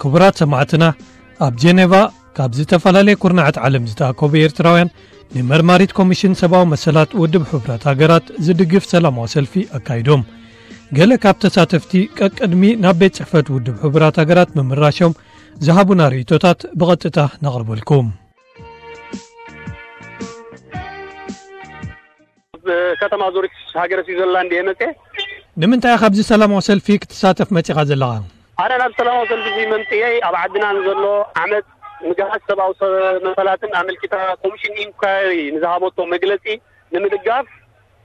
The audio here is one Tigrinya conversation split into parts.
ክቡራት ሰማዕትና፣ ኣብ ጀኔቫ ካብ ዝተፈላለየ ኩርናዓት ዓለም ዝተኣከቡ ኤርትራውያን ንመርማሪት ኮሚሽን ሰብኣዊ መሰላት ውድብ ሕቡራት ሃገራት ዝድግፍ ሰላማዊ ሰልፊ ኣካይዶም። ገለ ካብ ተሳተፍቲ ቀቅድሚ ናብ ቤት ጽሕፈት ውድብ ሕቡራት ሃገራት ምምራሾም ዝሃቡና ርእይቶታት ብቐጥታ ነቕርበልኩም። ከተማ ዙሪክ ሃገረ ስዊዘርላንድ እየ መፅየ። ንምንታይ ኢኻ ኣብዚ ሰላማዊ ሰልፊ ክትሳተፍ መጺኻ ዘለኻ? ኣነ ናብ ሰላማዊ ሰልፊ እዚ መምፅየይ ኣብ ዓድና ንዘሎ ዓመት ምግሃስ ሰብኣዊ ሰ- መሰላትን ኣመልኪታ ኮሚሽን ኢንኳሪ ንዝሃበቶ መግለፂ ንምድጋፍ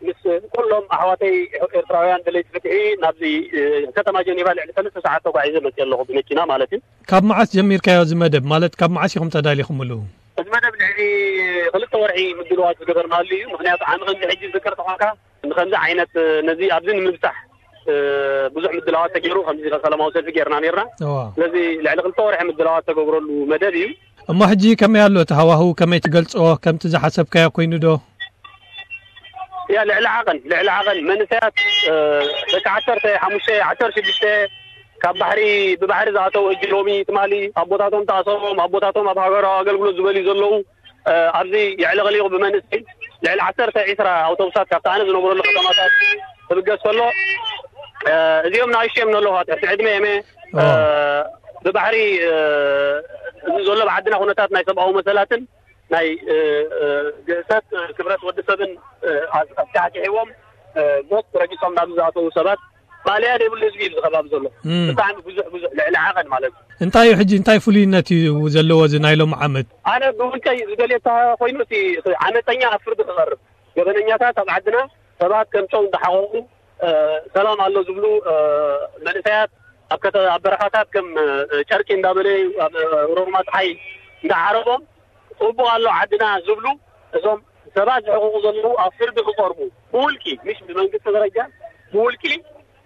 ምስ ኩሎም ኣሕዋተይ ኤርትራውያን ደለይቲ ፍትሒ ናብዚ እ፣ ከተማ ጀኔቫ ልዕሊ ሰለስተ ሰዓት ተጓዒዘ መፅየ ኣለኹ ብመኪና ማለት እዩ። ካብ መዓስ ጀሚርካዮ እዚ መደብ? ማለት ካብ መዓስ ኢኹም ተዳሊኹምሉ? እዚ መደብ ልዕሊ ክልተ ወርሒ ምድልዋት ዝገበርናሉ እዩ። ምክንያቱ ዓሚ ከምዚ ሕጂ ዝዝከር ተኾንካ ንከምዚ ዓይነት ነዚ ኣብዚ ንምብፃሕ እ፣ ብዙሕ ምድላዋት ተገይሩ ከምዚ ሰላማዊ ሰልፊ ገይርና ነርና። እዋ። ስለዚ ልዕሊ ክልተ ወርሒ ምድላዋት ተገብረሉ መደብ እዩ። እሞ ሕጂ ከመይ ኣሎ እቲ ሃዋህው? ከመይ ትገልጾ? ከምቲ ዝሓሰብካዮ ኮይኑ ዶ? ያ ልዕሊ ዓቐን ልዕሊ ዓቐን መንእሰያት እ፣ ደቂ ዓሰርተ ሓሙሽተ ዓሰርተ ሽዱሽተ ካብ ባሕሪ ብባሕሪ ዝኣተው ሕጂ ሎሚ ትማሊ ኣቦታቶም ተኣሰሮም ኣቦታቶም ኣብ ሃገራዊ ኣገልግሎት ዝበልዩ ዘለዉ እ፣ ኣብዚ የዕለቕሊቑ ብመንእሰይ ልዕሊ ዓሰርተ ዒስራ ኣውቶቡሳት ካብቲ ኣነ ዝነብረሉ ከተማታት ክብገስ ከሎ እ፣ እዚኦም ንኣሽቱ እዮም ዘለዉ ትሕቲ ዕድመ እየም እ፣ ብባሕሪ እ፣ እዚ ዘሎ ብዓድና ኩነታት ናይ ሰብኣዊ መሰላትን ናይ እ፣ እ፣ ግህሰት እ፣ ክብረት ወዲ ሰብን እ፣ ኣስ- ኣስካሕኪሕዎም እ፣ ሞት ረጊጾም ናብ ዝኣተዉ ሰባት ማልያ ዘይብሉ ህዝቢ እዩ እዚ ከባቢ ዘሎ እም። ብጣዕሚ ብዙሕ ብዙሕ ልዕሊ ዓቐን ማለት እዩ እንታይ እዩ ሕጂ እንታይ ፍሉይነት እዩ ዘለዎ እዚ ናይ ሎም ዓመት ኣነ ብውልቀይ ዝደልየ ኮይኑ እቲ ዓመፀኛ ኣብ ፍርዲ ክቐርብ ገበነኛታት ኣብ ዓድና ሰባት ከም ጨው እንዳሓቆቁ ሰላም ኣሎ ዝብሉ መንእሰያት ኣብ በረኻታት ከም ጨርቂ እንዳበለዩ ኣብ ሮርማ ፀሓይ እንዳዓረቦም ፅቡቅ ኣሎ ዓድና ዝብሉ እዞም ሰባት ዝሕቁቁ ዘለዉ ኣብ ፍርዲ ክቀርቡ ብውልቂ ምሽ ብመንግስቲ ደረጃ ብውልቂ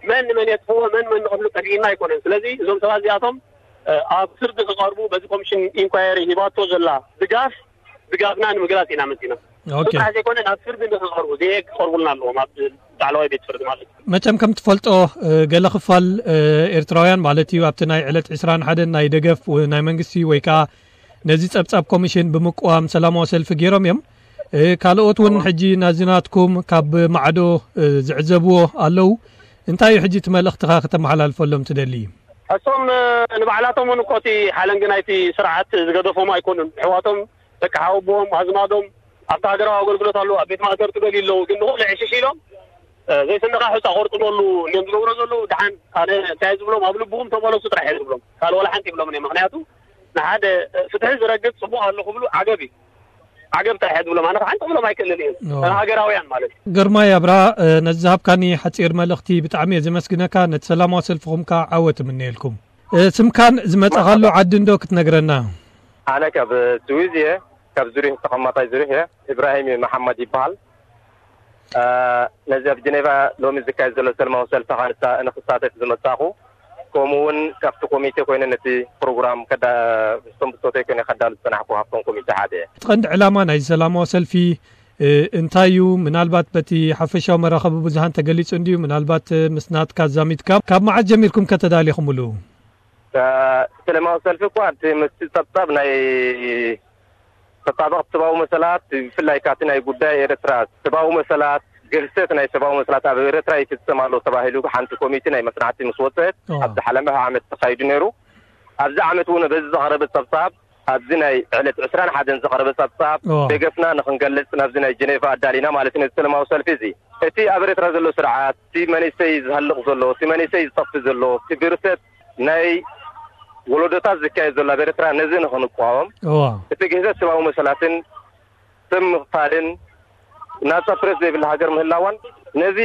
መን ንመን የጥፍዎ መን መን ንቐትሉ ጠፊእና ኣይኮነን ስለዚ እዞም ሰባት እዚኣቶም ኣብ ፍርዲ ክቐርቡ በዚ ኮሚሽን ኢንኳየሪ ሂባቶ ዘላ ድጋፍ ድጋፍና ንምግላፅ ኢና መፂና ጥራሕ ዘይኮነ ናብ ፍርዲ ንክቐርቡ ዘየ ክቐርቡልና ኣለዎም ኣብ ላዕለዋይ ቤት ፍርዲ ማለት እዩ መቸም ከም ትፈልጦ ገለ ክፋል ኤርትራውያን ማለት እዩ ኣብቲ ናይ ዕለት ዕስራን ሓደን ናይ ደገፍ ናይ መንግስቲ ወይ ከዓ ነዚ ጸብጻብ ኮሚሽን ብምቅዋም ሰላማዊ ሰልፊ ገይሮም እዮም። ካልኦት እውን ሕጂ ናዚ ናትኩም ካብ ማዕዶ ዝዕዘብዎ ኣለዉ። እንታይ እዩ ሕጂ እቲ መልእኽትኻ ከተመሓላልፈሎም ትደሊ? እሶም ንባዕላቶም እውን እኮ እቲ ሓለንጊ ናይቲ ስርዓት ዝገደፎም ኣይኮኑን። ኣሕዋቶም፣ ደቂ ሓወቦኦም፣ ኣዝማዶም ኣብቲ ሃገራዊ ኣገልግሎት ኣለዉ፣ ኣብ ቤት ማእሰርቲ ገሊኡ ኣለዉ። ግን ንኹሉ ዕሽሽ ኢሎም ዘይስንኻ ሑጻ ቆርጥመሉ እዮም ዝገብሮ ዘለዉ። ደሓን ኣነ እንታይ ዝብሎም ኣብ ልብኹም ተመለሱ ጥራሕ እየ ዝብሎም። ካልእ ዋላ ሓንቲ ይብሎምን እዮም። ምኽንያቱ ንሓደ ፍትሒ ዝረግጽ ጽቡቕ ኣሎ ክብሉ ዓገብ እዩ። ዓገብ ጥራሕ እየ ዝብሎም። ኣነ ሓንቲ ክብሎም ኣይክእልን እየ። ሃገራውያን ማለት እዩ። ግርማይ ኣብርሃ ነዚ ዝሃብካኒ ሓጺር መልእኽቲ ብጣዕሚ እየ ዘመስግነካ። ነቲ ሰላማዊ ሰልፍኹም ከኣ ዓወት እምነየልኩም። ስምካን ዝመጻኻሉ ዓዲ እንዶ ክትነግረና? ኣነ ካብ ስዊዝ እየ። ካብ ዙሪህ ተቐማጣይ ዙሪህ እየ። ኢብራሂም መሓመድ ይበሃል። ነዚ ኣብ ጀኔቫ ሎሚ ዝካየድ ዘሎ ሰልማዊ ሰልፊ ንክሳተፍ ዝመጻኹ ከምኡ እውን ካብቲ ኮሚቴ ኮይነ ነቲ ፕሮግራም ምስቶም ብጾተይ ኮይነ ከዳሉ ዝጸናሕኩ ካብቶም ኮሚቴ ሓደ እየ። እቲ ቀንዲ ዕላማ ናይዚ ሰላማዊ ሰልፊ እንታይ እዩ? ምናልባት በቲ ሓፈሻዊ መራኸቢ ብዙሃን ተገሊጹ እንድዩ። ምናልባት ምስ ናትካ ኣዛሚድካ ካብ መዓስ ጀሚርኩም ከ ተዳሊኹምሉ? ሰላማዊ ሰልፊ እኳ እቲ ምስቲ ጸብጻብ ናይ ተጣበቕቲ ሰብኣዊ መሰላት ብፍላይ ካብቲ ናይ ጉዳይ ኤርትራ ሰብኣዊ መሰላት ግህሰት ናይ ሰብኣዊ መሰላት ኣብ ኤርትራ ይፍጸም ኣሎ ተባሂሉ ሓንቲ ኮሚቴ ናይ መጽናዕቲ ምስ ወጸት ኣብዚ ሓለመ ዓመት ተኻይዱ ነይሩ። ኣብዚ ዓመት እውን በዚ ዝቐረበ ጸብጻብ ኣብዚ ናይ ዕለት ዕስራን ሓደን ዝቐረበ ጸብጻብ ደገፍና ንኽንገልጽ ናብዚ ናይ ጀኔቫ ኣዳሊና ማለት ነዚ ሰላማዊ ሰልፊ እዚ እቲ ኣብ ኤርትራ ዘሎ ስርዓት እቲ መንእሰይ ዝሃልቕ ዘሎ እቲ መንእሰይ ዝጠፍእ ዘሎ እቲ ግህሰት ናይ ወለዶታት ዝካየድ ዘሎ ኣብ ኤርትራ ነዚ ንኽንቋወም እቲ ግህሰት ሰብኣዊ መሰላትን ስም ምኽፋልን ናጻ ፕሬስ ዘይብላ ሃገር ምህላዋን ነዚ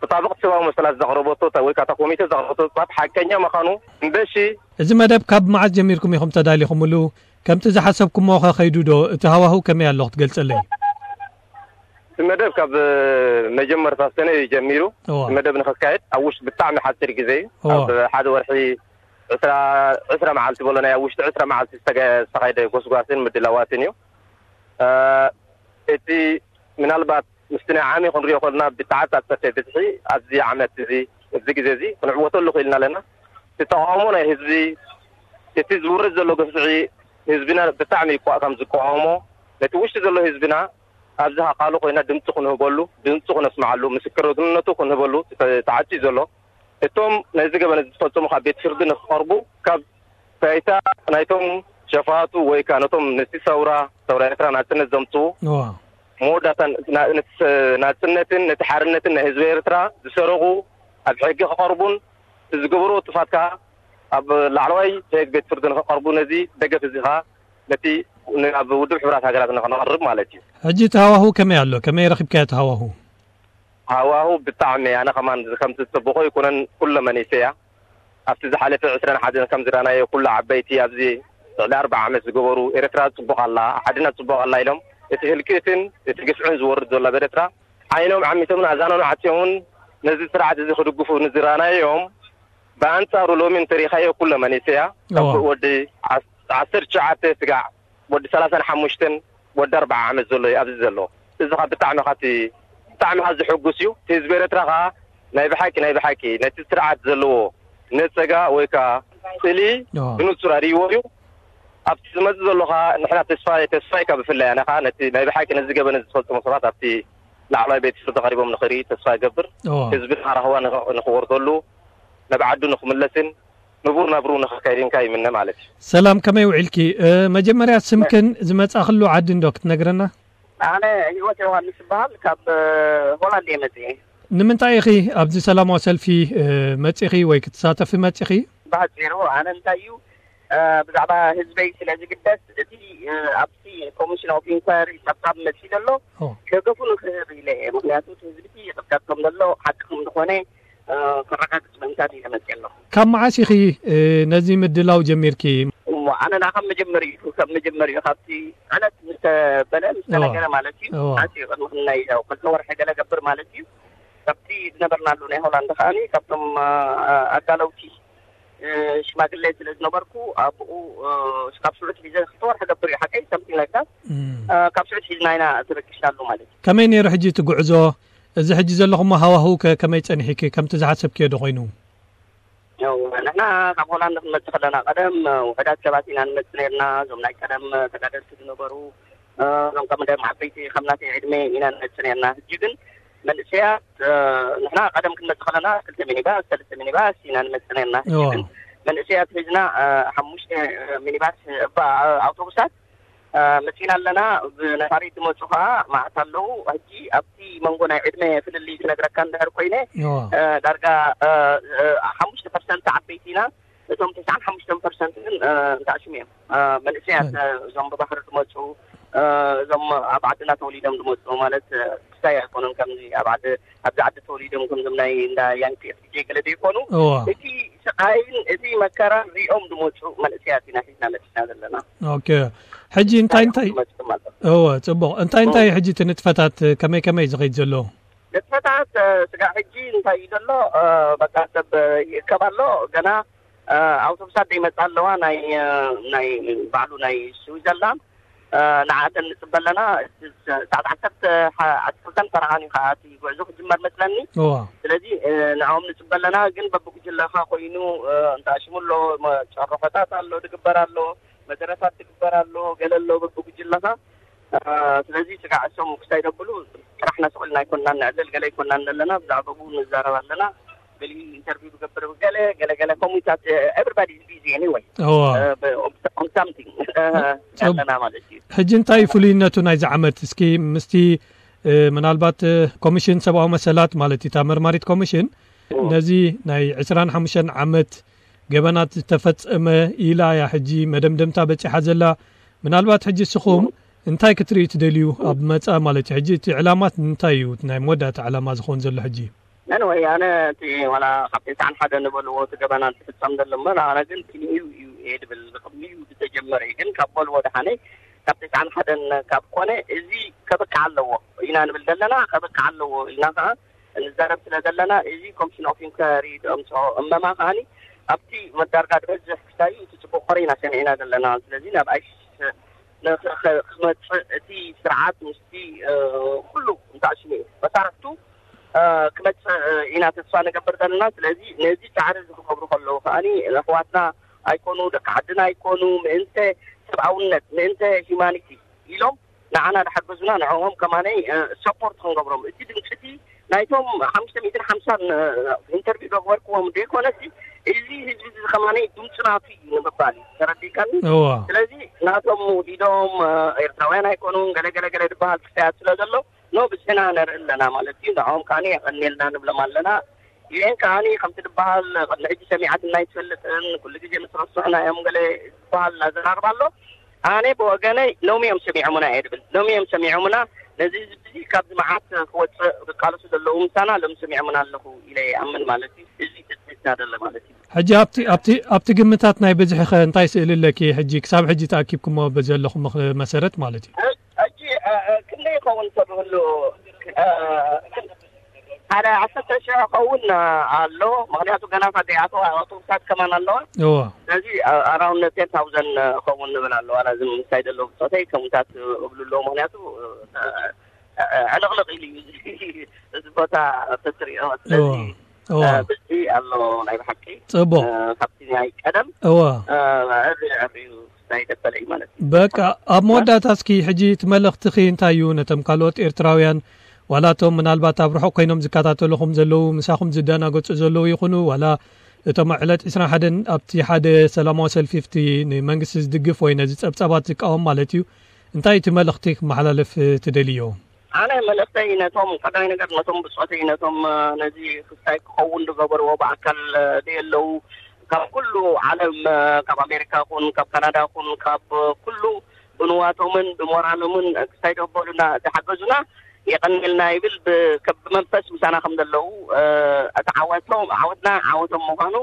ተጣበቕቲ ሰብኣዊ መሰላት ዘቕረበቶ ወይ ከዓ ኮሚቴ ዘቕረበቶ ባት ሓቀኛ ምዃኑ እምበሺ እዚ መደብ ካብ መዓስ ጀሚርኩም ኢኹም ተዳሊኹምሉ? ከምቲ ዝሓሰብኩሞ ኸ ኸይዱ ዶ? እቲ ሃዋህው ከመይ ኣሎ ክትገልጸለይ? እቲ መደብ ካብ መጀመርታ ሰነ እዩ ጀሚሩ። እቲ መደብ ንክካየድ ኣብ ውሽጢ ብጣዕሚ ሓፂር ግዜ እዩ። ኣብ ሓደ ወርሒ ዕስራ መዓልቲ በሎ ናይ ኣብ ውሽጢ ዕስራ መዓልቲ ዝተካየደ ጎስጓስን ምድላዋትን እዩ። እቲ ምናልባት ምስቲ ናይ ዓሚ ክንሪኦ ከለና ብተዓፃፀፈ ብዝሒ ኣብዚ ዓመት እዚ ኣብዚ ግዜ እዚ ክንዕወተሉ ክኢልና ኣለና። እቲ ተቃውሞ ናይ ህዝቢ እቲ ዝውርድ ዘሎ ግፍዒ ህዝብና ብጣዕሚ ይቋ-፣ ከም ዝቋወሞ፣ ነቲ ውሽጢ ዘሎ ህዝብና ኣብዚ ኣካሉ ኮይና ድምፂ ክንህበሉ፣ ድምፂ ክነስምዓሉ፣ ምስክርነቱ ክንህበሉ ተ-፣ ተዓፅዩ ዘሎ። እቶም ነዚ ገበን እዚ ዝፈፀሙ ካብ ቤት ፍርዲ ንክቐርቡ፣ ካብ ባይታ ናይቶም ሸፋቱ ወይ ከዓ ነቶም ነቲ ሰውራ፣ ሰውራ ኤርትራ ናፅነት ዘምፅኡ፣ እዋ። መወዳእታ ና-፣ ነቲ ሰ-፣ ናፅነትን ነቲ ሓርነትን ናይ ህዝቢ ኤርትራ ዝሰረቑ ኣብ ሕጊ ክቐርቡን፣ ዝገበርዎ ጥፋት ከዓ ኣብ ላዕለዋይ ሕግ ቤት ፍርዲ ንክቐርቡ፣ ነዚ ደገፍ እዚ ከዓ ነቲ ን-፣ ኣብ ውድብ ሕቡራት ሃገራት ንክነቕርብ ማለት እዩ። ሕጂ እቲ ሃዋሁ ከመይ ኣሎ? ከመይ ረኺብካዮ እቲ ሃዋሁ? ሃዋሁ ብጣዕሚ፣ ኣነ ከማን ከምቲ ዝጽብቆ ኣይኮነን፣ ኩለ መኒሰያ ኣብቲ ዝሓለፈ ዕስራን ሓደን ከም ዝረኣናዮ፣ ኩሉ ዓበይቲ ኣብዚ ልዕሊ ኣርብዓ ዓመት ዝገበሩ፣ ኤርትራ ጽቡቕ ኣላ፣ ዓድና ጽቡቕ ኣላ ኢሎም፣ እቲ ህልቂትን እቲ ግፍዕን ዝወርድ ዘሎ ኣብ ኤርትራ ዓይኖም ዓሚቶምን ኣዛኖም ዓጽዮምን ነዚ ስርዓት እዚ ክድግፉ ንዝረኣናዮም፣ ብኣንጻሩ ሎሚ እንተሪኻዮ ኩለ መኒሰያ፣ ካብ እዋ። ወዲ ዓስ-፣ ዓሰርተ ትሽዓተ ስጋዕ ወዲ ሰላሳን ሓሙሽተን ወዲ ኣርብዓ ዓመት ዘሎ እዩ ኣብዚ ዘሎ። እዚ ኸኣ ብጣዕሚ ኻቲ-፣ ብጣዕሚ ኸኣ ዘሐጉስ እዩ። እቲ ህዝቢ ኤርትራ ኸኣ ናይ ብሓቂ፣ ናይ ብሓቂ ነቲ ስርዓት ዘለዎ ነጸጋ ወይ ከኣ ጽልኢ ኣዎ። ብንጹር ኣርእይዎ እዩ። ኣብቲ ዝመጽእ ዘሎ ኸኣ ንሕና ተስፋ፣ ተስፋ እዩ ካብ ብፍላይ ኣነ ኸኣ ነቲ ናይ ብሓቂ ነዚ ገበን እዚ ዝፈጸሙ ሰባት ኣብቲ ላዕለዋይ ቤት ፍርዲ ቀሪቦም ንኽርኢ ተስፋ እገብር። ኣዎ። ህዝቢ ኸኣ ራህዋ ንኽ-፣ ንኽወርደሉ፣ ናብ ዓዱ ንኽምለስን ንቡር ናብሩ ንኽካይድን ከኣ ይምነ ማለት እዩ። ሰላም፣ ከመይ ውዒልኪ? እ፣ መጀመርያ ስምክን ዝመጻእክሉ ዓዲ እንዶ ክትነግረና? ኣነ ህይወት ዮሃንስ እበሃል፣ ካብ፣ እ፣ ሆላንድ እየ መጽኤ። ንምንታይ ኢኺ ኣብዚ ሰላማዊ ሰልፊ፣ እ፣ መጺኺ ወይ ክትሳተፊ መጺኺ? ብሓጺሩ ኣነ እንታይ እዩ፣ እ፣ ብዛዕባ ህዝበይ ስለ ዝግደስ፣ እቲ፣ እ፣ ኣብቲ ኮሚሽን ኦፍ ኢንኳየሪ ጸብጻብ መጺኡ ዘሎ ኦ። ደገፉ ንክህብ ኢለ እየ። ምኽንያቱ እቲ ህዝቢ ይቕጥቀጥ ከም ዘሎ ሓቂ ከም ዝኾነ፣ እ፣ ከረጋግጽ ምእንታን ኢለ መጺኤ ኣለኹ። ካብ መዓስ ኢኺ፣ እ፣ ነዚ ምድላው ጀሚርኪ? እሞ ኣነ ንዓ ካብ መጀመሪኡ፣ ካብ መጀመሪኡ፣ ካብቲ ዕለት ምስ ተበለ፣ ምስ እዋ። ተነገረ ማለት እዩ። እዋ። ኣትዩ ቅድሚ ክንናይ ያው ክልተ ወርሒ ገለ ገብር ማለት እዩ። ካብቲ ዝነበርናሉ ናይ ሆላንድ ከኣኒ፣ ካብቶም፣ እ፣ ኣዳለውቲ፣ እ፣ ሽማግሌ ስለ ዝነበርኩ፣ ኣብኡ፣ እ፣ ካብ ሽዑ ሒዘ ክልተ ወርሒ ገብር እዩ ሓቀይ፣ something like that። እም። እ፣ ካብ ሽዑ ሒዝና ኢና ተበጊስናሉ ማለት እዩ። ከመይ ነይሩ ሕጂ እቲ ጉዕዞ? እዚ ሕጂ ዘለኹሞ ሃዋህው ከ ከመይ ጸኒሕኪ? ከምቲ ዝሓሰብክዮ ዶ ኮይኑ? ያው ንሕና ካብ ሆላንድ ክንመጽእ ከለና ቀደም ውሑዳት ሰባት ኢና ንመጽእ ነርና። እዞም ናይ ቀደም ተጋደልቲ ዝነበሩ፣ እዞም ከም ደም ዓበይቲ ከም ናተይ ዕድመ ኢና ንመጽእ ነርና። ሕጂ ግን መንእሰያት፣ ንሕና ቀደም ክንመጽእ ከለና ክልተ ሚኒባስ፣ ሰለስተ ሚኒባስ ኢና ንመጽእ ነርና። ሕጂ እዋ። ግን መንእሰያት ሒዝና፣ ሓሙሽተ ሚኒባስ፣ ባ-፣ ኣውቶቡሳት እ፣ መጺና ኣለና። ብነፋሪት ዝመጹ ኸኣ መዓት ኣለዉ። ሕጂ ኣብቲ መንጎ ናይ ዕድመ ፍልልይ ክነግረካ እንድሕር ኮይነ፣ እዋ። እ፣ ዳርጋ፣ እ፣ እ፣ ሓሙሽተ ፐርሰንት ዓበይቲ ኢና። እቶም ተስዓን ሓሙሽተን ፐርሰንት ግን፣ እ፣ እንተኣሽሙ እዮም። እ፣ መንእሰያት፣ እ። እ፣ እዞም ብባሕሪ ዝመጹ፣ እ፣ እዞም ኣብ ዓድና ተወሊዶም ዝመጹ ማለት፣ እ፣ ክስታይ ኣይኮኑን። ከምዚ ኣብ ዓዲ፣ ኣብዚ ዓዲ ተወሊዶም ከምዞም ናይ እንዳ ያንኪ ኤፍ ዲ ጀይ ገለ ዘይኮኑ፣ እዋ። እቲ ስቓይን እቲ መከራን ሪኦም ዝመጹ መንእሰያት ኢና ሒዝና መጺና ዘለና። ኦኬ። ሕጂ እንታይ እንታይ ዝመጹ ማለት። እወ፣ ጽቡቕ። እንታይ እንታይ ሕጂ እቲ ንጥፈታት ከመይ ከመይ ዝኸይድ ዘሎ? ንጥፈታት፣ እ፣ ስጋዕ ሕጂ እንታይ እዩ ዘሎ? እ፣ በቃ ሰብ ይእከብ ኣሎ። ገና፣ እ፣ ኣውቶቡሳት ዘይመጻ ኣለዋ። ናይ፣ እ፣ ናይ ባዕሉ ናይ ስዊዘርላንድ፣ እ፣ ንዓተን ንጽበ ኣለና። እቲ ሰ-፣ ሰዓት ዓሰርተ፣ ሓ-፣ ዓሰርተ ክልተን ፈረቓን እዩ ከኣ እቲ ጉዕዞ ክጅመር መስለኒ። እዋ። ስለዚ፣ እ፣ ንዕኦም ንጽበ ኣለና። ግን በብጉጅለኻ ኮይኑ፣ እ፣ እንተ ኣሽሙ ኣሎ፣ መ-፣ ጨርሖታት ኣሎ፣ ድግበር ኣሎ፣ መደረታት ድግበር ኣሎ፣ ገለ ኣሎ በብጉጅለኻ። እ፣ ስለዚ ስጋዕ እሶም ክሳይ ደብሉ ጥራሕና ስቕ ኢልና ኣይኮንናን ንዕልል፣ ገለ ኣይኮንናን ዘለና፣ ብዛዕባኡ ንዛረብ ኣለና። ገሊኡ ኢንተርቪው ዝገብር፣ ገለ፣ ገለ፣ ገለ ከምኡታት፣ እ፣ everybody is busy anyway። እዋ። እ፣ ብ-፣ on something፣ እ፣ ጽብ-፣ ኣለና ማለት እዩ። ሕጂ እንታይ እዩ ፍሉይነቱ ናይዚ ዓመት? እስኪ ምስቲ፣ እ፣ ምናልባት፣ እ፣ ኮሚሽን ሰብኣዊ መሰላት ማለት እዩ፣ እታ መርማሪት ኮሚሽን እዎ። ነዚ ናይ ዕስራን ሓሙሽተን ዓመት ገበናት ዝተፈጸመ ኢላ እያ ሕጂ መደምደምታ በጺሓ ዘላ። ምናልባት ሕጂ እስኹም እንታይ ክትርእዩ ትደልዩ ኣብ መጻኢ ማለት እዩ? ሕጂ እቲ ዕላማት እንታይ እዩ? እቲ ናይ መወዳእታ ዕላማ ዝኸውን ዘሎ ሕጂ? ነን ወይ ኣነ እቲ ዋላ ካብ ተስዓን ሓደን ዝበልዎ እቲ ገበናት ዝፍጸም ዘሎ እምበር፣ ኣነ ግን ክንዩ እዩ እየ ድብል። ቅድሚኡ ዝተጀመረ እዩ። ግን ካብ በልዎ ደሓነይ ካብ ተስዓን ሓደን ካብ ኮነ እዚ ከብቅዕ ኣለዎ ኢና ንብል ዘለና። ከብቅዕ ኣለዎ ኢልና ከኣ ንዛረብ ስለ ዘለና፣ እዚ ኮሚሽን ኦፍ ኢንኳሪ ዘምጽኦ እመማ ከኣኒ ኣብቲ መዳርጋ ዝበዝሕ ክሳዩ እቲ ጽቡቕ ኮረ ኢና ሰሚዕና ዘለና። ስለዚ ናብ ኣይሲስ ንኽ-፣ ኸ-፣ ክመጽእ እቲ ስርዓት ምስቲ፣ እ፣ ኩሉ እንተኣሽሙ መሳርሕቱ፣ እ፣ ክመጽእ ኢና ተስፋ ንገብር ዘለና። ስለዚ ነዚ ጻዕሪ እዚ ክገብሩ ከለዉ ከኣኒ ኣሕዋትና ኣይኮኑ፣ ደቂ ዓድና ኣይኮኑ፣ ምእንተ ሰብኣውነት፣ ምእንተ ሂማኒቲ ኢሎም ንዓና ዝሓገዙና፣ ንዕኦም ከማነይ ሰፖርት ክንገብሮም። እቲ ድምፅቲ ናይቶም ሓሙሽተ ሚእትን ሓምሳን ኢንተርቪው ዘግበርክዎም ዘይኮነሲ፣ እዚ ህዝቢ እዚ ከማነይ ድምፂ ናቱ እዩ ንምባል እዩ። ተረዲእካኒ? እዋ ስለዚ ናቶም ውዲዶም ኤርትራውያን ኣይኮኑን፣ ገለ ገለ ገለ ዝበሃል ክስተያት ስለ ዘሎ፣ ኖ ብዝሕና ነርኢ ኣለና ማለት እዩ። ንዕኦም ከዓኒ የቐንየልና ንብሎም ኣለና። ዩኤን ከዓኒ ከምቲ ዝበሃል ቅድሚ ሕጂ ሰሚዓትና ኣይትፈልጥን፣ ኩሉ ግዜ ምስ ረስሑና እዮም ገለ ዝበሃል ኣዘራርባ ኣሎ። ኣነ ብወገነይ ሎሚ እዮም ሰሚዖምና እየ ድብል። ሎሚ እዮም ሰሚዖምና። ነዚ ህዝቢ እዚ ካብዚ መዓት ክወፅእ ዝቃለሱ ዘለዉ ምሳና ሎም ሰሚዖምና ኣለኹ ኢለ ይኣምን ማለት እዩ። እዚ ተስሚትና ደለ ማለት እዩ። ሕጂ ኣብቲ ኣብቲ ኣብቲ ግምታት ናይ ብዝሒ ኸ እንታይ ስእሊ ኣለኪ? ሕጂ ክሳብ ሕጂ ተኣኪብኩሞ በዘለኹም መሰረት ማለት እዩ። ሕጂ ክንደይ ይኸውን ተብህሉ ሓደ ዓሰርተ ሽሕ ኸውን ኣሎ። ምክንያቱ ገና ፋደያቶ ኣውቶቡሳት ከማን ኣለዋ። እዋ ስለዚ ኣራውንድ ቴን ታውዘንድ ኸውን ንብል ኣለዋ። ላዚ ምሳይ ዘለዉ ብፆተይ ከምታት እብሉ ኣለዉ። ምክንያቱ ዕልቕልቕ ኢሉ እዩ እዚ ቦታ ተትሪኦ። ስለዚ እዋ እዋ ብዚ ኣሎ ናይ ብሓቂ ጽቡቅ። ካብቲ ናይ ቀደም እዋ ዕሪ ዕሪ እዩ ናይ ደበለ እዩ ማለት እዩ። በቃ ኣብ መወዳእታ እስኪ ሕጂ እቲ መልእኽትኺ እንታይ እዩ ነቶም ካልኦት ኤርትራውያን ዋላ እቶም ምናልባት ኣብ ርሑቕ ኮይኖም ዝከታተልኹም ዘለዉ ምሳኹም ዝደናገጹ ዘለዉ ይኹኑ ዋላ እቶም ዕለት ዕስራን ሓደን ኣብቲ ሓደ ሰላማዊ ሰልፊ ኣብቲ ንመንግስቲ ዝድግፍ ወይ ነዚ ጸብጻባት ዝቃወም ማለት እዩ እንታይ እቲ መልእኽቲ ክመሓላለፍ ትደልዮ? ኣነ መልእኽተይ ነቶም ቀዳማይ ነገር ነቶም ብጾተይ ነቶም ነዚ ክስታይ ክኸውን ዝገበርዎ ብኣካል ደየለዉ ካብ ኩሉ ዓለም ካብ ኣሜሪካ ኹን ካብ ካናዳ ኹን ካብ ኩሉ ብንዋቶምን ብሞራሎምን ክስታይ ዘበሉና ዝሓገዙና የቐንልና ይብል። ብመንፈስ ምሳና ከም ዘለዉ እቲ ዓወቶም ዓወትና ዓወቶም ምዃኑ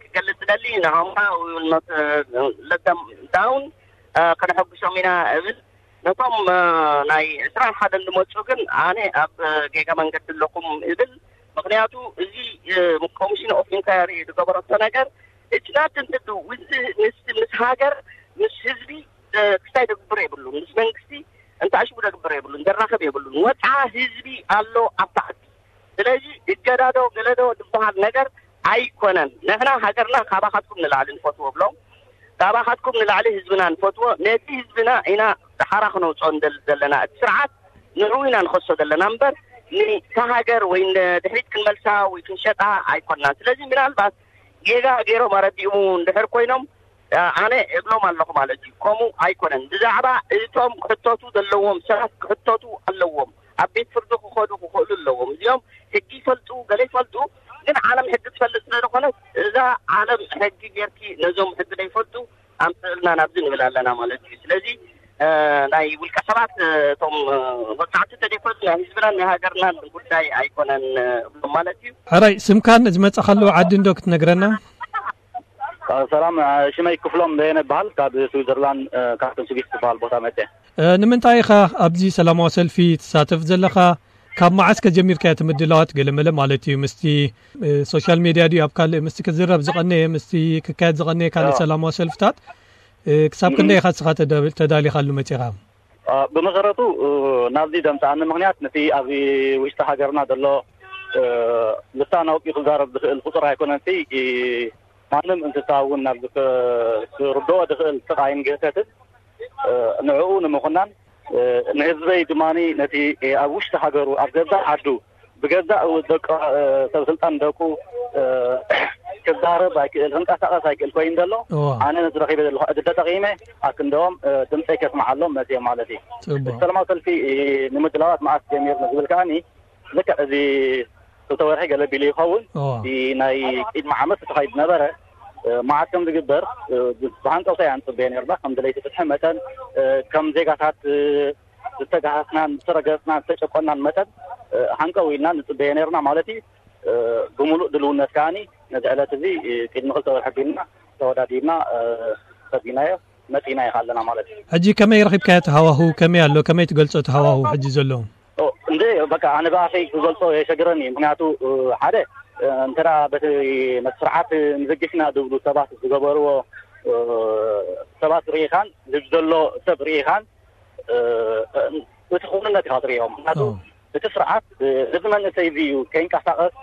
ክገልጽ ደሊ ንዕኦምና ዳውን ከነሐጉሶም ኢና እብል። ነቶም ናይ ዕስራን ሓደን ዝመፁ ግን ኣነ ኣብ ጌጋ መንገዲ ኣለኹም እብል። ምክንያቱ እዚ ኮሚሽን ኦፍ ኢንኳሪ ዝገበረቶ ነገር እችናት እንትዱ ምስ ሃገር ምስ ህዝቢ ክስታይ ደግብር የብሉን። ምስ መንግስቲ እንተኣሽቡ ደግብር የብሉን። ዘራኸብ የብሉን። ወፅዓ ህዝቢ ኣሎ ኣብታ ዓዲ። ስለዚ እገዳዶ ገለዶ ዝበሃል ነገር ኣይኮነን። ንሕና ሃገርና ካባኻትኩም ንላዕሊ ንፈትዎ ብሎም። ካባኻትኩም ንላዕሊ ህዝብና ንፈትዎ። ነቲ ህዝብና ኢና ሓራ ክነውፅኦ ዘለና። እቲ ስርዓት ንዕኡ ኢና ንኸሶ ዘለና እምበር ንታ ሃገር ወይ ድሕሪት ክንመልሳ ወይ ክንሸጣ ኣይኮንና። ስለዚ ምናልባት ጌጋ ገይሮም ኣረዲኡ እንድሕር ኮይኖም ኣነ እብሎም ኣለኹ ማለት እዩ። ከምኡ ኣይኮነን። ብዛዕባ እቶም ክሕተቱ ዘለዎም ሰባት ክሕተቱ ኣለዎም። ኣብ ቤት ፍርዲ ክኸዱ ክኽእሉ ኣለዎም። እዚኦም ሕጊ ይፈልጡ፣ ገለ ይፈልጡ፣ ግን ዓለም ሕጊ ትፈልጥ ስለ ዝኾነት እዛ ዓለም ሕጊ ጌርኪ ነዞም ሕጊ ዘይፈልጡ ኣምፅእልና ናብዚ ንብል ኣለና ማለት እዩ። ስለዚ ናይ ውልቀ ሰባት እቶም ወፃዕቲ ተደይኮኑ ናይ ህዝብናን ናይ ሃገርናን ጉዳይ ኣይኮነን እብሎም ማለት እዩ። ሕራይ ስምካን ዝመፀኻሉ ዓዲ እንዶ ክትነግረና? ሰላም፣ ሽመይ ክፍሎም በየነ ይበሃል። ካብ ስዊዘርላንድ ካፕተን ስዊስ ዝበሃል ቦታ መፀ። ንምንታይ ኢኻ ኣብዚ ሰላማዊ ሰልፊ ትሳተፍ ዘለኻ? ካብ መዓስ ከጀሚርካዮ እቲ ምድላዋት ገለመለ ማለት እዩ? ምስቲ ሶሻል ሜድያ ድዩ ኣብ ካልእ ምስቲ ክዝረብ ዝቐነየ ምስቲ ክካየድ ዝቐነየ ካልእ ሰላማዊ ሰልፍታት ክሳብ ክንደይ ኢኻ ንስኻ ተዳሊኻሉ መፂኻ? ብመሰረቱ ናብዚ ዘምፅኣኒ ምክንያት ነቲ ኣብ ውሽጢ ሃገርና ዘሎ ልሳን ኣውፂኡ ክዛረብ ዝኽእል ፍጡር ኣይኮነን። ማንም እንስሳ እውን ናብዚ ክርድኦ ዝኽእል ስቓይን ግህሰትን ንዕኡ ንምኹናን ንህዝበይ ድማ ነቲ ኣብ ውሽጢ ሃገሩ ኣብ ገዛእ ዓዱ ብገዛእ ደቂ ሰብ ስልጣን ደቁ ክዛረብ ኣይክእል ክንቀሳቀስ ኣይክእል ኮይኑ ዘሎ ኣነ ነቲ ረኺበ ዘለኹ ዕድል ተጠቂመ ኣክንደኦም ድምፀይ ከስምዓሎም መፅኦም ማለት እዩ። ሰላማዊ ሰልፊ ንምድላዋት መዓስ ጀሚርና ዝብል ከዓኒ ልክዕ እዚ ክልተ ወርሒ ገለ ቢሉ ይኸውን። ናይ ቅድሚ ዓመት ተኻይዱ ነበረ። መዓት ከም ዝግበር ብሃንቀውታ ኢና ንፅበዮ ነርና። ከም ድለይቲ ፍትሒ መጠን ከም ዜጋታት ዝተጋሃስናን ዝተረገፅናን ዝተጨቆናን መጠን ሃንቀው ኢልና ንፅበዮ ነርና ማለት እዩ። ብምሉእ ድልውነት ከዓኒ ነዚ ዕለት እዚ ቅድሚ ክልተ ወርሒ ቢልና ተወዳዲብና ሰዲናዮ መፂና ኢኻ ኣለና ማለት እዩ። ሕጂ ከመይ ረኺብካዮ እቲ ሃዋሁ? ከመይ ኣሎ? ከመይ ትገልፆ እቲ ሃዋሁ ሕጂ ዘሎ? እንደ በቃ ኣነ ብኣፈይ ክገልፆ የሸግረኒ። ምክንያቱ ሓደ እንተ በቲ ስርዓት ንዝግሽና ዝብሉ ሰባት ዝገበርዎ ሰባት ርኢኻን ህዝቢ ዘሎ ሰብ ርኢኻን እቲ ክውንነት ኢኻ ትርእዮ። ምክንያቱ እቲ ስርዓት እዚ መንእሰይ እዚ እዩ ከይንቀሳቀስ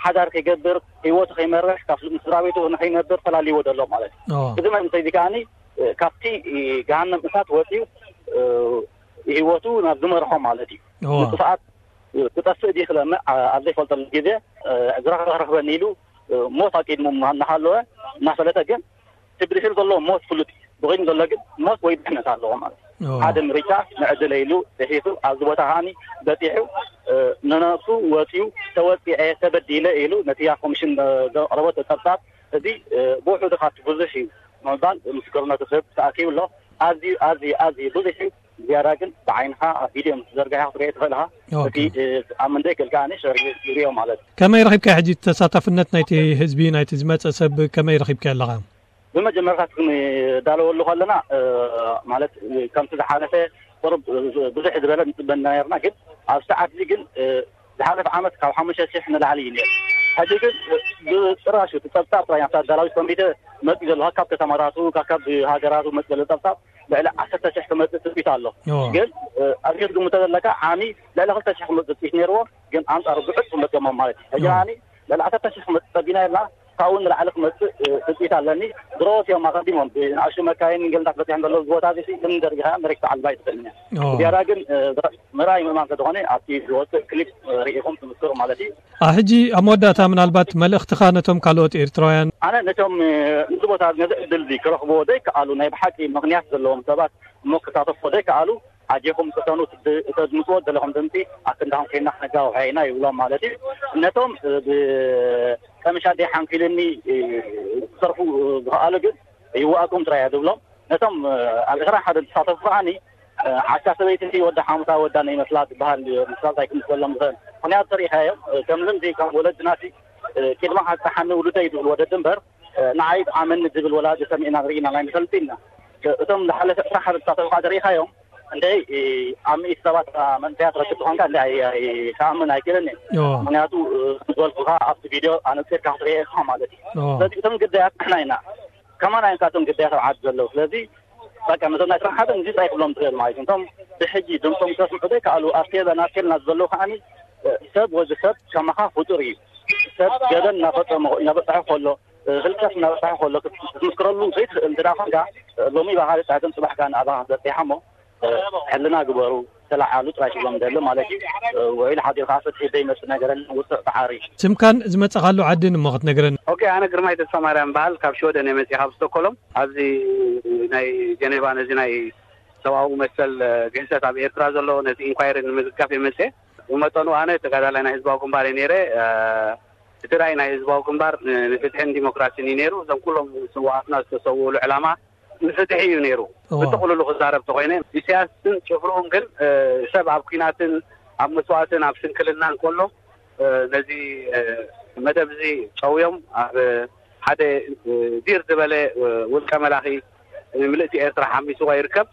ሓዳር ከይገብር፣ ህይወቱ ከይመርሕ፣ ካብ ስድራ ቤቱ ንኸይነብር ፈላልይዎ ዘሎ ማለት እዩ። እዚ መንእሰይ እዚ ከዓኒ ካብቲ ገሃነም እሳት ወፂኡ ህይወቱ ናብ ዝመርሖ ማለት እዩ። ንጥፍኣት ክጠፍእ ድዩ ክለምዕ ኣብ ዘይፈልጠሉ ግዜ፣ ዝረኽበ ክረኽበኒ ኢሉ ሞት ኣቂድሙ እናሃለወ እናፈለጠ ግን እቲ ብድሕሪ ዘሎ ሞት ፍሉጥ እዩ። ብቕድሚ ዘሎ ግን ሞት ወይ ድሕነት ኣለዎ ማለት እዩ። ሓደ ምርጫ ንዕድለ ኢሉ ጥሒሱ ኣብዚ ቦታ ከዓኒ በፂሑ፣ ንነብሱ ወፂኡ፣ ተወፂዐ፣ ተበዲለ ኢሉ ነቲ ኣብ ኮሚሽን ዘቕረቦ ፀብፃብ እዚ ብውሕዱ ካብቲ ብዙሕ እዩ ንምባል ምስክርነቱ ክህብ ተኣኪቡ ኣሎ። ኣዝዩ ኣዝዩ ኣዝዩ ብዙሕ እዩ። ዝያዳ ግን ብዓይንኻ ኣብ ቪድዮ ምስ ዘርጋሕካ ክትሪኦ ትኽእል ኢኻ። እቲ ኣብ መንደይ ክእል ከዓኒ ሸር ይሪኦ ማለት እዩ። ከመይ ረኺብካዮ ሕጂ ተሳታፍነት ናይቲ ህዝቢ፣ ናይቲ ዝመፀ ሰብ ከመይ ረኺብካዮ ኣለኻ? ብመጀመርታ ክንዳለወሉ ከለና ማለት ከምቲ ዝሓለፈ ቁሩብ ብዙሕ ዝበለ ንፅበ ነርና፣ ግን ኣብ ሰዓት እዚ ግን ዝሓለፈ ዓመት ካብ ሓሙሽተ ሽሕ ንላዕሊ እዩ ነይሩ። ሕጂ ግን ብጭራሽ እቲ ፀብፃብ ጥራይ ኣብታ ኣዳላዊት ኮሚቴ መፂኡ ዘሎ ካብ ከተማታቱ ካብ ሃገራቱ መፂኡ ዘሎ ፀብፃብ ልዕሊ ዓሰርተ ሽሕ ክመፅእ ትፅቢት ኣሎ። ግን ኣብዚ ክትግምቶ ዘለካ ዓሚ ልዕሊ ክልተ ሽሕ ክመፅእ ትፅቢት ነይርዎ፣ ግን ኣንፃሩ ብዕፁ መፅኦሞ ማለት እዩ። ሕጂ ዓሚ ልዕሊ ዓሰርተ ሽሕ ክመፅእ ፀቢና ኢልና ካብኡ ንላዕሊ ክመፅእ ትፅቢት ኣለኒ። ድሮት እዮም ኣቐዲሞም ብንኣሽቱ መካይን ገለታት በፂሖም ዘለዉ። ዝቦታ እዚ እምኒ ደርጊኻ መሬት ትዓልባ ኣይትኽእልን እያ። ዝያዳ ግን ምርኣይ ምእማን ስለዝኾነ ኣብቲ ዝወፅእ ክሊፕ ርኢኹም ትምስክሩ ማለት እዩ። ሕጂ ኣብ መወዳእታ ምናልባት መልእኽትኻ ነቶም ካልኦት ኤርትራውያን? ኣነ ነቶም እዚ ቦታ ነዚ ዕድል እዚ ክረኽብዎ ዘይከኣሉ ናይ ብሓቂ ምኽንያት ዘለዎም ሰባት እሞ ክሳተፍዎ ዘይከኣሉ ኣጆኹም ቅሰኑ፣ ተድምፅዎ ዘለኹም ድምፂ ኣብ ክንዳኹም ኮይና ክነጋውሐ ኢና ይብሎም ማለት እዩ። ነቶም ብቀምሻ ደይ ሓንኪልኒ ክሰርፉ ዝኸኣሉ ግን ይዋኣኩም ጥራይ እየ ዝብሎም። ነቶም ኣብ ዕስራን ሓደን ዝሳተፉ ከዓኒ ዓሻ ሰበይቲ ወዲ ሓሙሳ ወዳ ናይ መስላ ዝበሃል መስላ እንታይ ክምስለሎም ዝኽእል ምኽንያት ተሪኢኻዮም። ከም ልምዲ ከም ወለድናሲ ቅድሚ ሓፀሓኒ ውሉደይ ዝብል ወለዲ እምበር ንዓይ ብኣመኒ ዝብል ወላዲ ሰሚዕና ርኢና ናይ ንፈልጥ ኢና። እቶም ዝሓለፈ ዕስራ ሓደ ዝሳተፉ ከዓ ተሪኢኻዮም እንደ ኣብ ሚእቲ ሰባት መንእሰያት ረክብ ዝኾንካ እንደ ኣይከኣምን ኣይክእልን እየ። ምክንያቱ ዝበልኩኻ ኣብቲ ቪድዮ ኣነፂርካ ክትሪኦ ኢኻ ማለት እዩ። ስለዚ እቶም ግዳያት ንሕና ኢና። ከማና እዮም ካቶም ግዳያት ኣብ ዓዲ ዘለዉ። ስለዚ በቃ ነዞም ናይ ስራሕ ሓደ እንጂ እንታይ ክብሎም ትኽእል ማለት እዩ። እቶም ብሕጂ ድምፆም ከስምዑ ዘይከኣሉ ኣብ ቴለ ናብ ቴልና ዘለዉ ከዓኒ ሰብ ወዲ ሰብ ከማኻ ፍጡር እዩ። ሰብ ገበን እናፈፀመ እናበፅሐ ከሎ ህልቀት እናበፅሐ ከሎ ክትምስክረሉ ዘይትኽእል እንተ ደኣ ኮንካ ሎሚ ባኻ በፅሐትን ፅባሕ ከዓ ንኣባኻ በፂሓ እሞ ሕልና ግበሩ። ተለዓሉ ጥራይ ክብሎም ደሊ ማለት እዩ። ውዒል ሓዲርካ ፍትሒ ዘይመፅእ ነገር የለን። ውፅዕ ፃዕሪ። ስምካን ዝመፀኻሉ ዓድን እሞ ክትነግረኒ? ኦኬ፣ ኣነ ግርማይ ተስፋ ማርያም በሃል፣ ካብ ሽወደን እየ መፅእ፣ ካብ ስቶኮሎም። ኣብዚ ናይ ጀኔቫ ነዚ ናይ ሰብኣዊ መሰል ግህሰት ኣብ ኤርትራ ዘሎ ነቲ ኢንኳይሪ ንምዝጋፍ እየ መፅእ። ብመጠኑ ኣነ ተጋዳላይ ናይ ህዝባዊ ግንባር እየ ነይረ። እቲ ራእይ ናይ ህዝባዊ ግንባር ንፍትሕን ዲሞክራሲን እዩ ነይሩ። እዞም ኩሎም ስውኣትና ዝተሰውእሉ ዕላማ ንፍትሒ እዩ ነይሩ። ብጥቕልሉ ክዛረብ ተኾይነ ኢሳያስን ጭፍርኡን ግን ሰብ ኣብ ኲናትን ኣብ መስዋእትን ኣብ ስንክልናን ከሎ ነዚ መደብ እዚ ጨውዮም ኣብ ሓደ ዲር ዝበለ ውልቀ መላኺ ምልእቲ ኤርትራ ሓሚስዋ ይርከብ።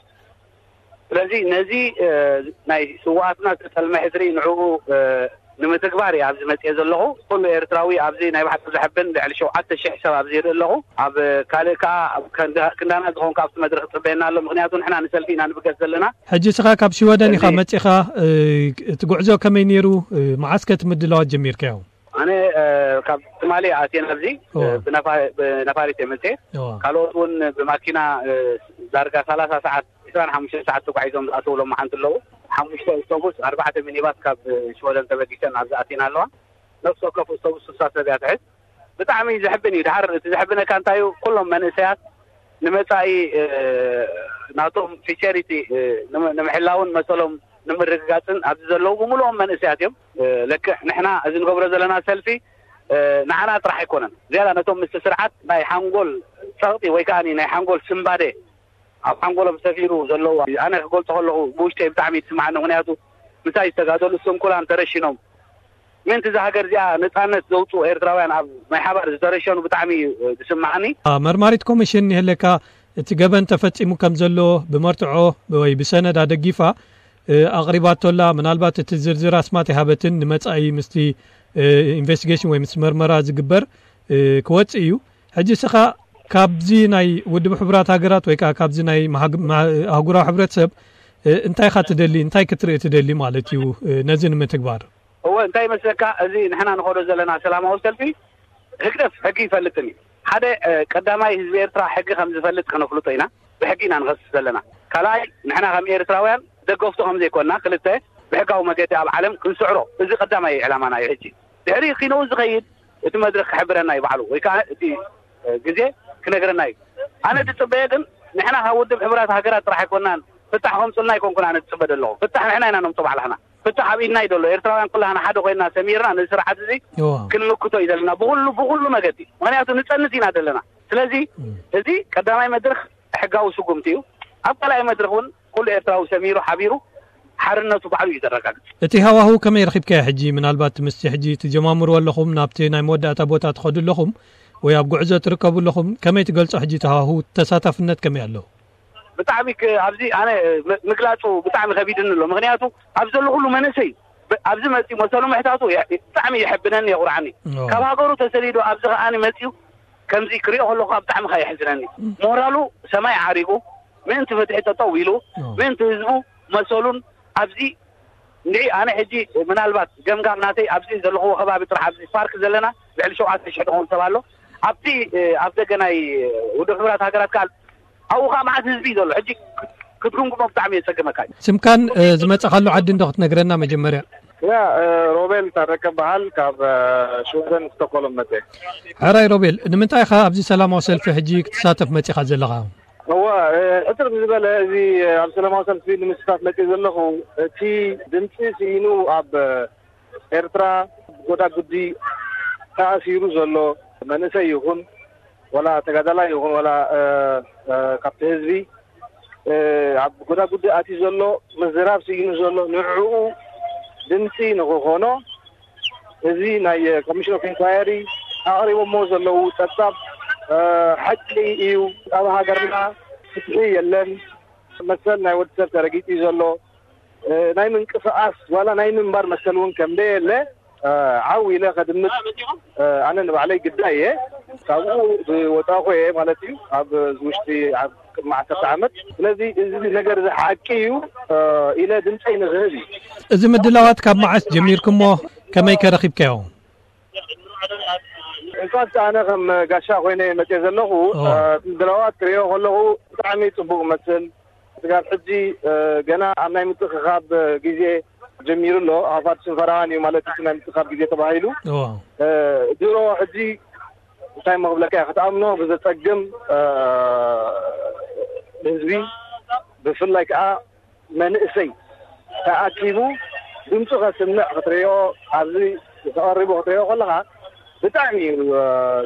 ስለዚ ነዚ ናይ ስውኣትና ዝተጠልመ ሕድሪ ንዕኡ ንምትግባር እየ ኣብዚ መፅኤ ዘለኹ። ኩሉ ኤርትራዊ ኣብዚ ናይ ባሕቲ ዘሕብን ልዕሊ ሸውዓተ ሽሕ ሰብ ኣብዚ ይርኢ ኣለኹ። ኣብ ካልእ ከዓ ክንዳና ዝኾንካ ኣብቲ መድረክ ትፅበየና ኣሎ። ምክንያቱ ንሕና ንሰልፊ ኢና ንብገስ ዘለና። ሕጂ ስኻ ካብ ሽወደን ኢኻ መፂኻ። እቲ ጉዕዞ ከመይ ነይሩ? መዓስ ከ እቲ ምድላዋት ጀሚርካዮ? ኣነ ካብ ትማሊ ኣትየ ናብዚ ብነፋሪት እየ መፅኤ። ካልኦት እውን ብማኪና ዳርጋ ሰላሳ ሰዓት ዕስራን ሓሙሽተን ሰዓት ተጓዒዞም ዝኣተውሎም መሓንቲ ኣለዉ። ሓሙሽተ ኣውቶቡስ ኣርባዕተ ሚኒባስ ካብ ሽወደን ተበጊሰን ኣብዚ ኣቲና ኣለዋ። ነፍሲ ወከፍ ኣውቶቡስ ስሳ ሰብ እያ ትሕዝ። ብጣዕሚ ዘሕብን እዩ። ድሓር እቲ ዘሕብነካ እንታይ እዩ? ኩሎም መንእሰያት ንመፃኢ ናቶም ፊቸሪቲ ንምሕላውን መሰሎም ንምርግጋፅን ኣብዚ ዘለዉ ብምልኦም መንእሰያት እዮም። ለክዕ ንሕና እዚ ንገብሮ ዘለና ሰልፊ ንዓና ጥራሕ ኣይኮነን። ዝያዳ ነቶም ምስቲ ስርዓት ናይ ሓንጎል ፀቕጢ ወይ ከዓ ናይ ሓንጎል ስምባደ ኣብ ሓንጎሎም ሰፊሩ ዘለዉ ኣነ ክገልፆ ከለኹ ብውሽጠይ ብጣዕሚ ይስማዓኒ። ምክንያቱ ምሳይ ዝተጋደሉ ስንኩላን ተረሽኖም ምእንቲ እዛ ሃገር እዚኣ ነፃነት ዘውፅኡ ኤርትራውያን ኣብ ናይ ሓባር ዝተረሸኑ ብጣዕሚ እዩ ዝስማዓኒ። መርማሪት ኮሚሽን ይህለካ እቲ ገበን ተፈፂሙ ከም ዘሎ ብመርትዖ ወይ ብሰነድ ኣደጊፋ ኣቕሪባቶላ። ምናልባት እቲ ዝርዝር ኣስማት ይሃበትን ንመፃኢ ምስቲ ኢንቨስቲጌሽን ወይ ምስ መርመራ ዝግበር ክወፅእ እዩ። ሕጂ ስኻ ካብዚ ናይ ውድብ ሕቡራት ሃገራት ወይ ከዓ ካብዚ ናይ ኣህጉራዊ ሕብረተሰብ እንታይ ኢኻ ትደሊ? እንታይ ክትርኢ ትደሊ ማለት እዩ ነዚ ንምትግባር? እወ፣ እንታይ ይመስለካ፣ እዚ ንሕና ንኸዶ ዘለና ሰላማዊ ሰልፊ ህግደፍ ሕጊ ይፈልጥን እዩ። ሓደ ቀዳማይ፣ ህዝቢ ኤርትራ ሕጊ ከም ዝፈልጥ ከነፍልጦ ኢና። ብሕጊ ኢና ንኸስስ ዘለና። ካልኣይ፣ ንሕና ከም ኤርትራውያን ደገፍቱ ከም ዘይኮንና፣ ክልተ፣ ብሕጋዊ መገዲ ኣብ ዓለም ክንስዕሮ፣ እዚ ቀዳማይ ዕላማና እዩ። ሕጂ ድሕሪ ኪነኡ ዝኸይድ እቲ መድረኽ ክሕብረና እዩ ባዕሉ፣ ወይ ከዓ እቲ ግዜ ክነግረና እዩ። ኣነ ዝፅበየ ግን፣ ንሕና ካብ ውድብ ሕቡራት ሃገራት ጥራሕ ኣይኮናን፣ ፍታሕ ከምፅልና ኣይኮንኩን ኣነ ዝፅበ ዘለኹ። ፍታሕ ንሕና ኢና ነምፅኦ ባዕላህና። ፍታሕ ኣብ ኢድና እዩ ዘሎ። ኤርትራውያን ኩላህና ሓደ ኮይንና ሰሚርና ነዚ ስርዓት እዚ ክንምክቶ እዩ ዘለና፣ ብኩሉ ብኩሉ መገዲ። ምክንያቱ ንፀንት ኢና ዘለና። ስለዚ እዚ ቀዳማይ መድረኽ ሕጋዊ ስጉምቲ እዩ። ኣብ ካልኣይ መድረኽ እውን ኩሉ ኤርትራዊ ሰሚሩ ሓቢሩ ሓርነቱ ባዕሉ እዩ ዘረጋግጽ። እቲ ሃዋህው ከመይ ረኺብካዮ? ሕጂ ምናልባት ምስቲ ሕጂ ትጀማምሩ ኣለኹም፣ ናብቲ ናይ መወዳእታ ቦታ ትኸዱ ኣለኹም፣ ወይ ኣብ ጉዕዞ ትርከቡ ኣለኹም፣ ከመይ ትገልጾ? ሕጂ እቲ ሃዋህው ተሳታፍነት ከመይ ኣሎ? ብጣዕሚ ክ- ኣብዚ ኣነ ም- ምግላጹ ብጣዕሚ ከቢድኒ ኣሎ። ምክንያቱ ኣብ ዘሎ ኩሉ መንእሰይ ብ- ኣብዚ መጺኡ መሰሉ ምሕታቱ የ- ብጣዕሚ የሐብነኒ፣ የኹርዓኒ። ኦ። ካብ ሃገሩ ተሰዲዱ ኣብዚ ከኣ መጺኡ ከምዚ ክሪኦ ከለኹ ብጣዕሚ ከኣ የሕዝነኒ። ሞራሉ ሰማይ ዓሪጉ ምእንቲ ፍትሒ ጠጠው ኢሉ፣ ኦ። ምእንቲ ህዝቡ መሰሉን ኣብዚ እንድዒ ኣነ ሕጂ ምናልባት ገምጋም ናተይ ኣብዚ ዘለኽዎ ከባቢ ጥራሕ ኣብዚ ፓርክ ዘለና ልዕሊ ሸውዓተ ሽሕ ዝኸውን ሰብ ኣሎ። ኣብቲ ኣብ ደገ ናይ ውድብ ሕቡራት ሃገራት ከኣ ኣብኡ ከኣ መዓት ህዝቢ እዩ ዘሎ። ሕጂ ክትግምግሞ ብጣዕሚ የጸግመካ እዩ። ስምካን ዝመጻኻሉ ዓዲ እንዶ ክትነግረና መጀመርያ? ያ ሮቤል ታረቀ በሃል ካብ ሽወደን ስቶኮሎም መጸ። ሕራይ ሮቤል፣ ንምንታይ ኢኻ ኣብዚ ሰላማዊ ሰልፊ ሕጂ ክትሳተፍ መጺኻ ዘለኻ? እዋ ሕጽር ዝበለ እዚ ኣብ ሰላማዊ ሰልፊ ንምስታፍ መጺ ዘለኹ፣ እቲ ድምፂ ስኢኑ ኣብ ኤርትራ ጎዳጉዲ ተኣሲሩ ዘሎ መንእሰይ ይኹን፣ ወላ ተጋዳላይ ይኹን፣ ወላ ካብቲ ህዝቢ ኣብ ጎዳጉዲ ኣትዩ ዘሎ፣ ምዝራብ ስኢኑ ዘሎ፣ ንዕኡ ድምፂ ንክኾኖ እዚ ናይ ኮሚሽን ኦፍ ኢንኳየሪ ኣቕሪቦሞ ዘለዉ ጸብጻብ ሓቂ እዩ። ኣብ ሃገርና ፍትሒ የለን። መሰል ናይ ወዲ ሰብ ተረጊጡ እዩ ዘሎ። ናይ ምንቅስቓስ ዋላ ናይ ምንባር መሰል እውን ከም ደየለ ዓው ኢለ ከድምፅ ኣነ ንባዕለይ ግዳይ እየ። ካብኡ ዝወፃኹ እየ ማለት እዩ፣ ኣብ ውሽጢ ኣብ ቅድሚ ዓሰርተ ዓመት። ስለዚ እዚ ነገር እዚ ሓቂ እዩ ኢለ ድምፀይ ንክህብ እዩ። እዚ ምድላዋት ካብ መዓስ ጀሚርኩሞ? ከመይ ከ ረኺብካዮ? እንኳን ኣነ ከም ጋሻ ኮይነ መፅየ ዘለኹ። ምድላዋት ክሪኦ ከለኹ ብጣዕሚ ፅቡቅ መስል። ስጋብ ሕጂ ገና ኣብ ናይ ምትእኽኻብ ግዜ ጀሚሩ ኣሎ። ኣፋት ሽንፈራዋን እዩ ማለት እቲ ናይ ምትእኽኻብ ግዜ ተባሂሉ። ድሮ ሕጂ እንታይ መኽብለካ እየ፣ ክትኣምኖ ብዘጸግም ህዝቢ፣ ብፍላይ ከዓ መንእሰይ ተኣኪቡ ድምፁ ከስምዕ ክትሪኦ፣ ኣብዚ ተቐሪቡ ክትሪኦ ከለኻ ብጣዕሚ እዩ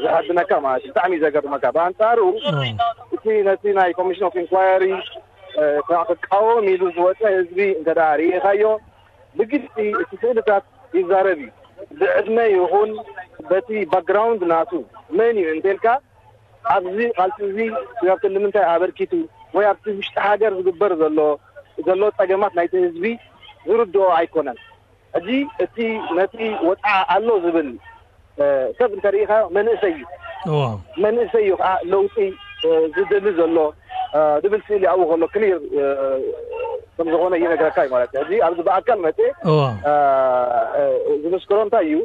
ዘሕብነካ ማለት እዩ። ብጣዕሚ እዩ ዘገርመካ። ብኣንፃሩ እቲ ነቲ ናይ ኮሚሽን ኦፍ ኢንኳየሪ ክቃወም ኢሉ ዝወፀ ህዝቢ እንተ ደኣ ርኢኻዮ፣ ብግልፂ እቲ ስእልታት ይዛረብ እዩ። ብዕድመ ይኹን በቲ ባክግራውንድ ናቱ መን እዩ እንተልካ፣ ኣብዚ ቃልሲ እዚ ስጋብቲ ንምንታይ ኣበርኪቱ ወይ ኣብቲ ውሽጢ ሃገር ዝግበር ዘሎ ዘሎ ጸገማት ናይቲ ህዝቢ ዝርድኦ ኣይኮነን። ሕጂ እቲ ነቲ ወጽዓ ኣሎ ዝብል ሰብ እንተርኢኻ መንእሰይ እዩ። መንእሰይ እዩ ከዓ ለውጢ ዝደሊ ዘሎ ዝብል ስእሊ ኣብኡ ከሎ ክሊር ከም ዝኾነ ይነግረካ እዩ ማለት እዩ። ሕጂ ኣብዚ ብኣካል መፅእ ዝምስክሮ እንታይ እዩ?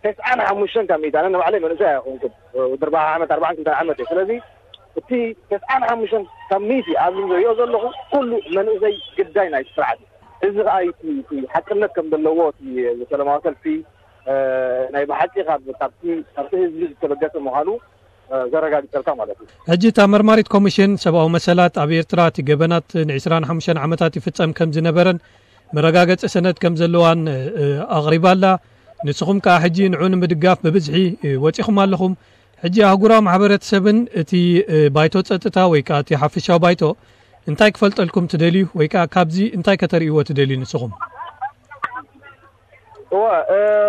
ተስዓን ሓሙሽተን ካብ ሚእቲ፣ ኣነ ንባዕለይ መንእሰይ ኣይኮንኩን፣ ወዲ ኣርባዓ ዓመት ኣርባዓን ክልተን ዓመት እየ። ስለዚ እቲ ተስዓን ሓሙሽተን ካብ ሚእቲ ኣብዚ ዝሪኦ ዘለኹ ኩሉ መንእሰይ ግዳይ ናይቲ ስርዓት እዩ። እዚ ከዓ እቲ ሓቅነት ከም ዘለዎ እቲ ሰላማዊ ሰልፊ ናይ ብሓቂ ካብቲ ህዝቢ ዝተበገሰ ምዃኑ ዘረጋግፀልካ ማለት እዩ። ሕጂ እታ መርማሪት ኮሚሽን ሰብኣዊ መሰላት ኣብ ኤርትራ እቲ ገበናት ን ዕስራን ሓሙሽተን ዓመታት ይፍጸም ከም ዝነበረን መረጋገጺ ሰነድ ከም ዘለዋን ኣቕሪባ ኣላ። ንስኹም ከኣ ሕጂ ንዑ ንምድጋፍ ብብዝሒ ወጺኹም ኣለኹም። ሕጂ ኣህጉራዊ ማሕበረተሰብን እቲ ባይቶ ጸጥታ ወይ ከኣ እቲ ሓፈሻዊ ባይቶ እንታይ ክፈልጠልኩም ትደልዩ ወይ ከኣ ካብዚ እንታይ ከተርእይዎ ትደልዩ ንስኹም? እወ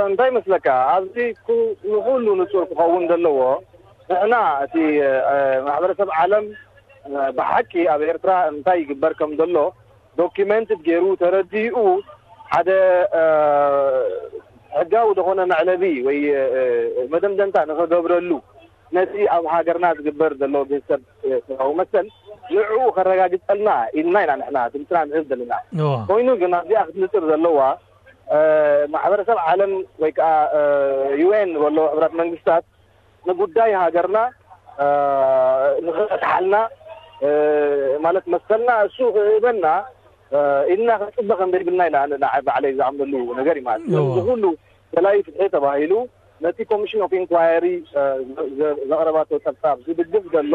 እንታይ መስለካ ኣብዚ ንኩሉ ንጹር ክኸውን ዘለዎ ንሕና እቲ ማሕበረሰብ ዓለም ብሓቂ ኣብ ኤርትራ እንታይ ይግበር ከም ዘሎ ዶኪመንት ገይሩ ተረዲኡ ሓደ ሕጋዊ ዝኾነ መዕለቢ ወይ መደምደምታ ንኸገብረሉ ነቲ ኣብ ሃገርና ዝግበር ዘሎ ግህሰብ ሰብኣዊ መሰል ንዕኡ ከረጋግጸልና ኢልና ኢና ንሕና ድምፅና ንህብ ዘለና። ኮይኑ ግን ኣብዚኣ ክትንፅር ዘለዋ ማሕበረሰብ ዓለም ወይ ከዓ ዩ ኤን ዝበሎ ሕብረት መንግስታት ንጉዳይ ሃገርና ንክፈትሓልና ማለት መሰልና እሱ ክህበና ኢልና ክንፅበ ከም ዘይብልና ኢና ባዕለይ ዝኣምነሉ ነገር እዩ ማለት እዩ። እዚ ኩሉ ደላይ ፍትሒ ተባሂሉ ነቲ ኮሚሽን ኦፍ ኢንኳየሪ ዘቕረባቶ ፀብፃብ ዝድግፍ ዘሎ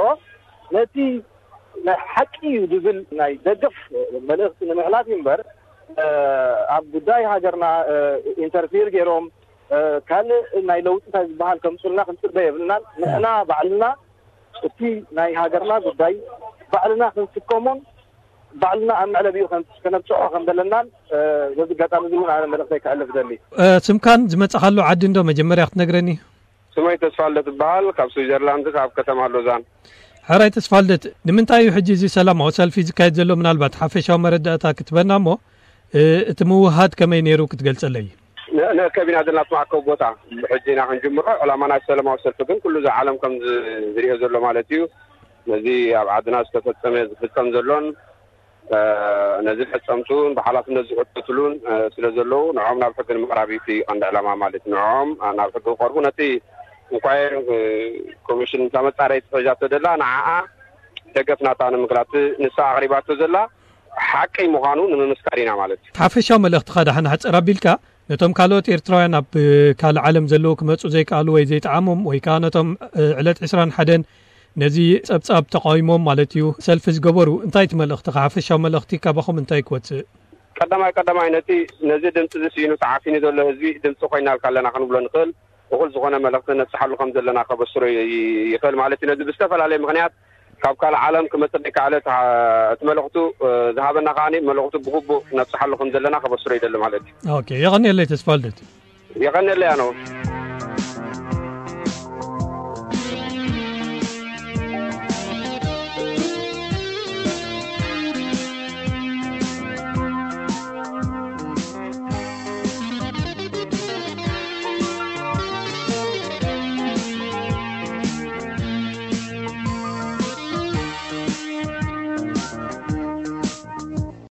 ነቲ ናይ ሓቂ እዩ ዝብል ናይ ደገፍ መልእኽቲ ንምሕላፍ እዩ እምበር ኣብ ጉዳይ ሃገርና ኢንተርፊር ገይሮም ካልእ ናይ ለውጢ እንታይ ዝበሃል ከምፁልና ክንፅበ የብልናን። ንሕና ባዕልና እቲ ናይ ሃገርና ጉዳይ ባዕልና ክንስከሞን ባዕልና ኣብ መዕለቢኡ ከነብፅሖ ከም ዘለናን በዚ ኣጋጣሚ እዚ እውን ኣነ መልእኽተይ ከሕልፍ ደሊ። ስምካን ዝመፃኻሉ ዓዲ እንዶ መጀመርያ ክትነግረኒ? ስመይ ተስፋልደት እበሃል፣ ካብ ስዊዘርላንድ፣ ካብ ከተማ ሎዛን። ሕራይ ተስፋልደት፣ ንምንታይ እዩ ሕጂ እዚ ሰላማዊ ሰልፊ ዝካየድ ዘሎ? ምናልባት ሓፈሻዊ መረዳእታ ክትበና እሞ እቲ ምውሃድ ከመይ ነይሩ ክትገልጸለይ? ንእከብ ኢና ዘለና እቲ መኣከቢ ቦታ። ሕጂ ኢና ክንጅምሮ። ዕላማ ናይ ሰላማዊ ሰልፊ ግን ኩሉ እዚ ዓለም ከም ዝሪኦ ዘሎ ማለት እዩ። ነዚ ኣብ ዓድና ዝተፈጸመ ዝፍጸም ዘሎን ነዚ ፈጸምቱን ብሓላፍነት ዝሕተትሉን ስለ ዘለዉ ንዕኦም ናብ ሕጊ ንምቕራብ እዩ እቲ ቀንዲ ዕላማ ማለት እዩ። ንዕኦም ናብ ሕጊ ክቐርቡ ነቲ ኢንኳየሪ ኮሚሽን እታ መጻረይቲ ሒዛቶ ዘላ ንዓኣ ደገፍናታ ንምግላጽ ንሳ ኣቕሪባቶ ዘላ ሓቂ ምዃኑ ንምምስካር ኢና ማለት እዩ። ሓፈሻዊ መልእኽትኻ ደሓን ኣሕጽር ኣቢልካ ነቶም ካልኦት ኤርትራውያን ኣብ ካልእ ዓለም ዘለዉ ክመጹ ዘይከኣሉ ወይ ዘይጠዓሞም ወይ ከኣ ነቶም ዕለት ዕስራን ሓደን ነዚ ጸብጻብ ተቓዊሞም ማለት እዩ ሰልፊ ዝገበሩ እንታይ እቲ መልእኽትኻ ሓፈሻዊ መልእኽቲ ካባኹም እንታይ ክወጽእ? ቀዳማይ ቀዳማይ ነቲ ነዚ ድምፂ እዚ ስኢኑ ተዓፊኑ ዘሎ ህዝቢ ድምፂ ኮይናልካ ኣለና ክንብሎ ንኽእል እኹል ዝኾነ መልእኽቲ ነብፅሓሉ ከም ዘለና ከበስሮ ይኽእል ማለት እዩ። ነዚ ብዝተፈላለየ ምኽንያት ካብ ካልእ ዓለም ክመፅእ ዘይከኣለ እቲ መልእኽቱ ዝሃበና ከዓ መልእኽቱ ብግቡእ ነብፅሓሉ ከም ዘለና ከበስሮ ይደሊ ማለት እዩ። ኦኬ፣ የቐንየለይ ተስፋልደት። የቐንየለይ ኣነ እውን።